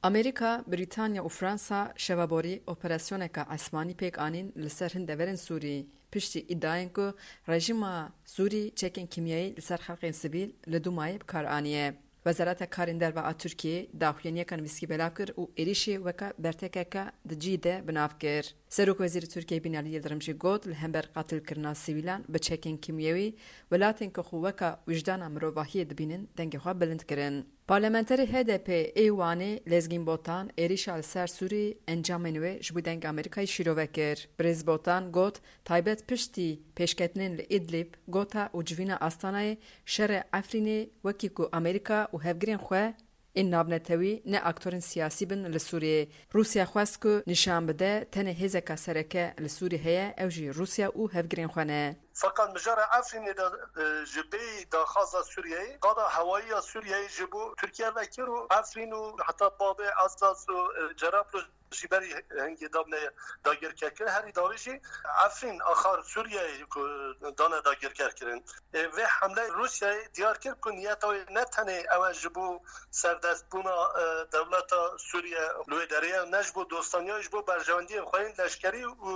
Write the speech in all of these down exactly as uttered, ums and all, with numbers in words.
Amerîka, Brîtanya û Fransa şeva borî operasyoneke esmanî pêk anîn li ser hin deverên Sûrî, piştî îdiayên ku rejîma Sûrî çekên kîmyayî li ser xelkên sivîl li Dumayê bi kar aniye. Wezareta Karên Derve a Tirkiyê daxuyaniyeke nivîskî belav kir û êrîşê weke bertekeke di cî de bi nav kir. Serokwezîrê Tirkiyê Binalî Yildirim jî got, li hember qatilkirina sivîlan bi çekên kîmyewî, welatên ku xwe weke wijdana mirovahiyê dibînin, dengê xwe bilind kirin. Parlamenterê H D P ê Wanê Lezgîn Botan êrîşa li ser Sûrî encamên wê ji bo Dengê Amerîkayê şîrove kir. Birêz Botan got, taybet piştî pêşketinên li Îdlîb, Gota û civîna Astanayê, şerê Efrînê, wekî ku Amerîka û hevgirên xwe ên navnetewî ne aktorên siyasî bin li Sûriyeyê. Rûsya xwest ku nîşan bide tenê hêzeka sereke li Sûriyê heye, ew jî Rûsya û hevgirên xwe ne. Feqet mijara Efrînê de, e, ji bêyî daxwaza Sûriyeyê, qada hewayî ya Sûriyeyê ji bo Tirkiye vekir û Efrîn û heta Babê Esas û, e, Cerablus jî berî hingê dabne dagirkerkirin. Herî dawî jî Efrîn axar Sûriyeyê ku dane dagirkerkirin. E, vê hemleyê Rûsyayê diyar kir ku niyeta wê ne tenê ew e ji bo serdestbûna, e, dewleta Sûriye li wê derê ye, ne ji bo dostaniya, ji bo berjewendiyên xwe yên leşkerî û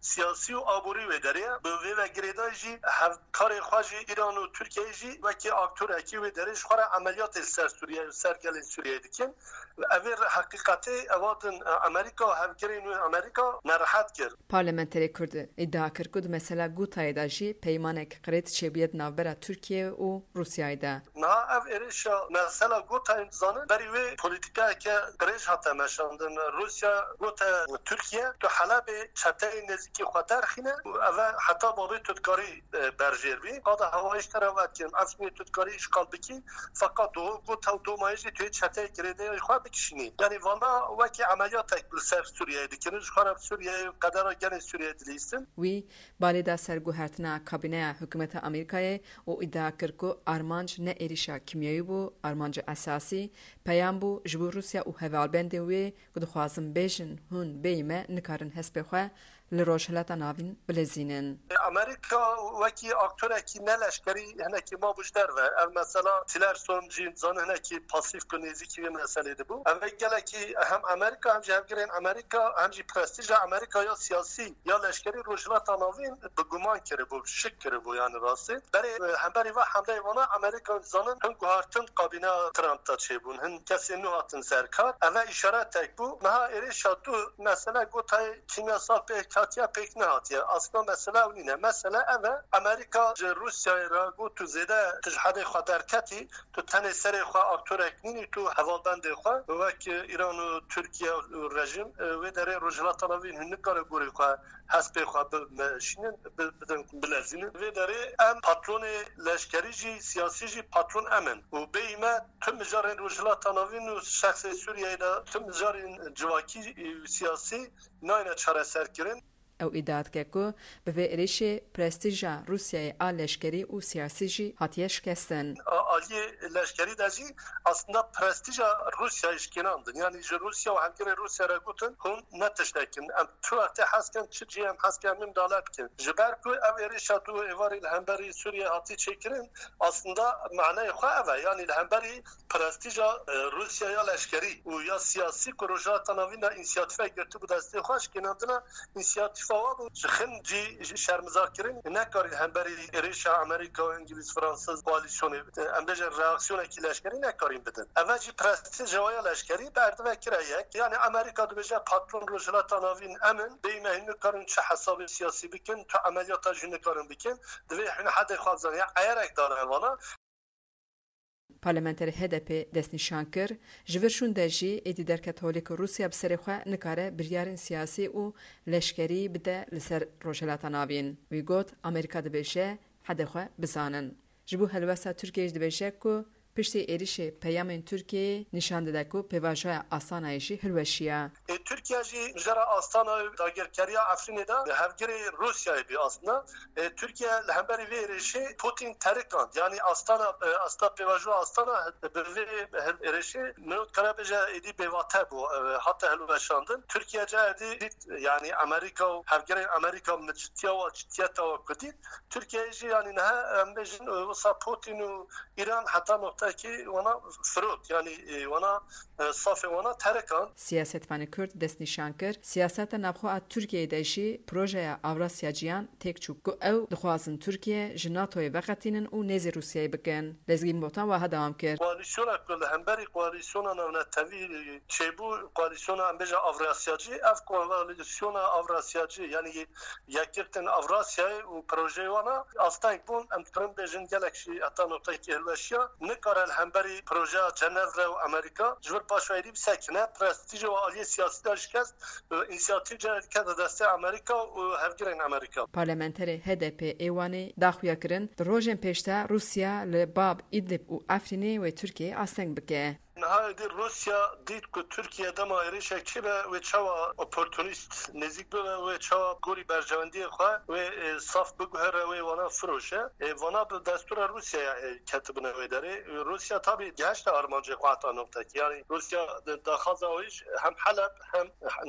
siyasî û aborî wê derê ye. Bi vê ve girêdayî jî hevkarê xwe jî Îran û Tirkiyeyê jî wekî aktorekî wê derê ji xwe re emeliyatê li ser Sûriye, li ser gelên Sûriyeyê dikin. Ev ê heqîqetê eva din, e, Amerîka û hevgirên wê Amerîka nerehet kir. Parlamenterê Kurd îdia kir ku di mesela Gotayê de jî peymanek qirêt çêbûye di navbera Tirkiye û Rûsyayê de. Niha ev êrişa mesela Gotayê dizanin, berî wê polîtîkayeke dirêj hate meşandin. Rûsya gote Tirkiye, tu Helebê çeteyên nêzîkî xwe derxîne û ev e heta babê tu dikarî, e, berjêr bî. Qada hewayî ji te re vedikin, Efrînê tu dikarî îşxal bikî, feqet do-, Gota û Domayê jî tu yê çeteyê girêdayî xwe bikişînî. Yanî vana wekî emeliyatek li ser Sûriyeyê dikirin, ji xwe re bi Sûriyeyê û qedera gelên Sûriyeyê dilîstin. Wî balê da ser guhertina kabîneya hikûmeta Amerîkayê û îdia kir ku armanc ne êrîşa kîmyewî bû, armanca esasî peyam bû ji bo Rûsya û hevalbendên wê ku dixwazin bêjin, hûn bêyî me nikarin hespê xwe li Rojhilata Navîn bilezînin. Amerîka wekî aktorekî ne leşkerî hinekî mabû ji derve. Ev mesela Tillerson jî zanin hinekî pasîf ku nêzîkî vê meselê dibû. Ev ê gelekî hem Amerîka hem jî hevgirên Amerîka hem jî prestîja Amerîka ya siyasî ya leşkerî Rojhilata Navîn bi guman kiribû, bi şik kiribû yani rastî. Berê, e, hemberî ve hemleyê vana Amerîka zanin hin guhartin kabîna Trump de çêbûn, hin kesên nû hatin ser kar. Ev e îşaretek bû. Niha êrişa tu mesele Gotayê kîmyasal pêk hatiye, pêk nehatiye. Aslında mesele ew nîne. Mesele ev e, Amerîka ji Rûsyayê re got tu zêde tu ji hedê xwe derketî, tu tenê serê xwe aktorek nînî, tu hevalbendê xwe wek Îran û Tirkiye û rejîm, e, wê derê Rojhilata Navîn hûn nikare gorî xwe hespê xwe bimeşînin, bi-, bidin, bilezînin. Vê derê em patronê leşkerî jî, siyasî jî patron em in. Û bêyî me tu mijarên Rojhilata Navîn û şexsê Sûriyeyê de tu mijarên civakî û siyasî nayne çareserkirin. Ew îdia dike ku bi vê êrişê prestîja Rûsyayê a leşkerî û siyasî jî hatiye şikestin. A-, aliyê leşkerî de jî aslında prestîja Rûsyayê şikênandin. Yanî ji Rûsya û hevgirê Rûsya re gotin, hûn ne tiştek in. Em tu wextê hez kin, çi cihê em hez kin, em ê midale bikin. Ji ber ku ev êrişa du êvarî li hemberî Sûriyê hatî çêkirin, aslında maneyê xwe ev e. Yanî li hemberî prestîja, e, Rûsya ya leşkerî û ya siyasî ku Rojhilata Navîn de însiyatîfek girtibû destê xwe, şikênandina însiyatîfa wa bû. Ji xin cî şermizarkirin, nekarîn hemberî êrişa Amerîka û Îngilîz, Fransız koalîsyonê, e, em bêjin reaksiyonekî leşkerî nekarîn bidin. Ev e jî prestîja wa ya leşkerî berdivekire yek. Yani Amerîka dibêje patron Rojhilata Navîn em in, bêyî me hîn nikarin çi hesabê siyasî bikin, tu emeliyata jî nikarin bikin. Divê hûn hedê xwe bizanî. Ya eyerek dane vana. Parlamenterê H D P destnîşan kir, ji vir şûn de jî êdî derket holê ku Rûsya bi serê xwe nikare biryarên siyasî û leşkerî bide li ser Rojhilata Navîn. Wî got, Amerîka dibêje, hedê xwe bizanin. Ji bo helwesta Tirkiyeyê jî dibêje ku piştî êrişê peyamên Tirkiyeyê nîşan dide ku pêvajoya Astanayê jî hilweşiya. E, Tirkiye jî mijara Astana û dagirkeriya Efrînê de hevgirê Rûsyayê bî aslında. E, Tirkiye li hemberî vê êrişê Putin terikand. Yanî Astana, e, asta pêvajoya Astana bi vê êrişê min dikare bêje êdî bêvate bû, e, hate hilweşandin. Tirkiye cahê dî dît, yanî Amerîka û hevgirên Amerîka bi ciddiya wa, ciddiyeta wa ku dît. Tirkiye jî yanî niha em bêjin, e, wisa Putin û Îran heta noqte Belkî wana firot, yanî, e, wana, e, safê wana terekan. Siyasetvanê Kurd destnîşan kir, siyaseta navxwe a Tirkiyeyê de jî projeya Avrasyacîyan têk çû ku ew dixwazin Tirkiye ji NATOyê veqetînin û nêzî Rûsyayê bikin. Lezgîn Botan wiha dewam kir. Koalîsyona ku li hemberî koalîsyona navnetewî çêbû, koalîsyona em bêje Avrasyacî, ev koalîsyona Avrasyacî, yanî Yekgirtên Avrasyayê û projeyê wana asteng bûn. Em dikarin bêjin gelek jî heta noqtekî hilweşiya. Nikare li hemberî projeya Cenevre û Amerîka ji vir paşweyî bisekine, prestîjê û aliyê siyasî de şikest, û însiyatîv cihê dikete destê Amerîka û hevgirên Amerîka. Parlamenterê H D P ê Wanê da xuya kirin, di rojên pêş de Rûsya li Bab, Îdlib û Efrînê wê Tirkiyeyê asteng bike. Niha êdî Rûsya dît ku Tirkiye dema êrişek çêbe, wê çawa oportunîst nêzîk bibe, wê çawa gorî berjewendiyê xwe wê, e, saf biguhere, wê wana firoşe. E, vana bi destûra Rûsyayê, e, ketibine wê derê. E, Rûsya tabî gihişte armancê xwe heta noqtekî. Yanî Rûsya di daxwaza wî ji hem Heleb hem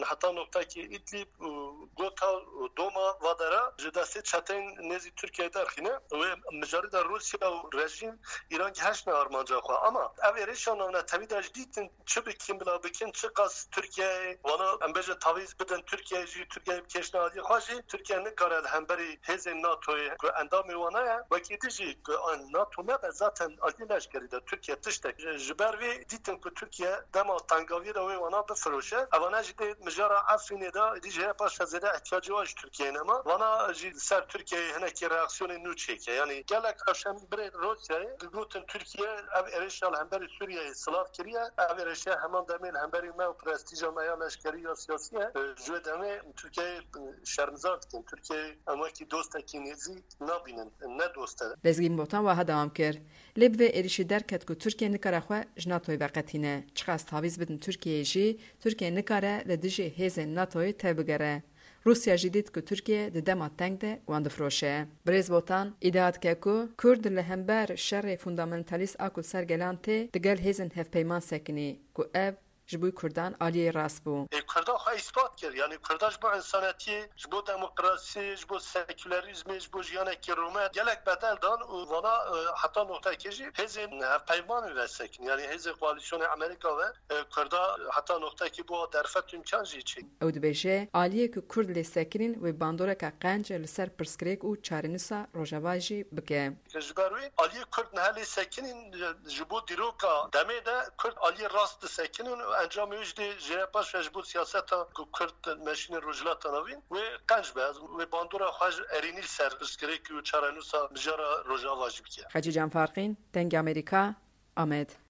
heta noqtekî Îdlîb û Gota û Doma vadera ji destê çeteyên nêzî Tirkiyeyê derxîne. Wê mijarê de Rûsya û rejîm Îran gihiştine armanca xwe. Ama ev êrişa navnetewî de jî dîtin çi bikin bila bikin, çiqas Tirkiyeyê, wana em bêjin tavîz bidin Tirkiyeyê jî, Tirkiyeyê bikêşine aliyê xwe jî, Tirkiye nikare li hemberî hêzên NATOyê ku endamê wana ye, wekî din jî ku NATO nebe zaten aliyê leşkerî de Tirkiye tiştek. Ji, ji ber vê dîtin ku Tirkiye dema tengaviyê de wê wana bifiroşe. Evane jî dê mijara Efrînê de êdî jê paş zêde ihtiyacê wan ji Tirkiyeyê nema. Vana jî li ser Tirkiyeyê hinekî reaksiyonê nû çêke. Yanî gelek rewşenbirên Rûsyayê digotin Tirkiye ev êrişa li hemberî Sûriyeyê silav kiriye. Ev êrişe heman demê li hemberî me û prestîja me ya leşkerî ya siyasî ye. Ji wê demê Tirkiyeyê şermizar dikin. Tirkiyeyê em wekî dostekî nêzîk nabînin. Ne dost e. Lezgîn Botan wiha dewam kir. Lê bi vê êrişî derket ku Tirkiye nikare xwe ji NATOyê veqetîne. Çiqas tavîz bidin Tirkiyeyê jî, Tirkiye nikare li dijî hêzên NATOyê tevbigere. Rûsya jî dît ku Tirkiye di dema teng de wan difiroşe. Birêz Botan îdia dike ku Kurd li hember şerê fundamentalîst a ku li ser gelan tê, digel hêzên hevpeyman sekinî, ku ev ji bo Kurdan aliyê rast bû. Ê, Kurda xwe îspat kir. Yanî Kurda ji bo însanetiyê, ji bo demokrasiyê, ji bo sekülerîzmê, ji bo jiyanekî rûmet gelek bedel dan û vana, e, heta noqtekê jî hêzên hevpeymanê ve sekin. Yanî hêzên koalîsyonê Amerîka ve, e, Kurda heta noqtekî bo derfet û îmkan jî çêk. Ew dibêje, aliyê ku Kurd lê sekinîn wê bandoreke qenc li ser pirsgirêk û çarenûsa Rojava jî bike. Ji ber wê aliyê Kurd niha lê sekinîn, ji bo dîroka demê de Kurd aliyê rast disekinin û encamê wê jî dê jê re paş ve ji bo siyaseta ku Kurd meşîne Rojhilata Navîn wê qenc be, wê bandora xwe ji erênî li ser pirsgirêk û çarenûsa mijara Rojava jî bike. Hecî Can Farqîn, Dengê Amerîka, Amed.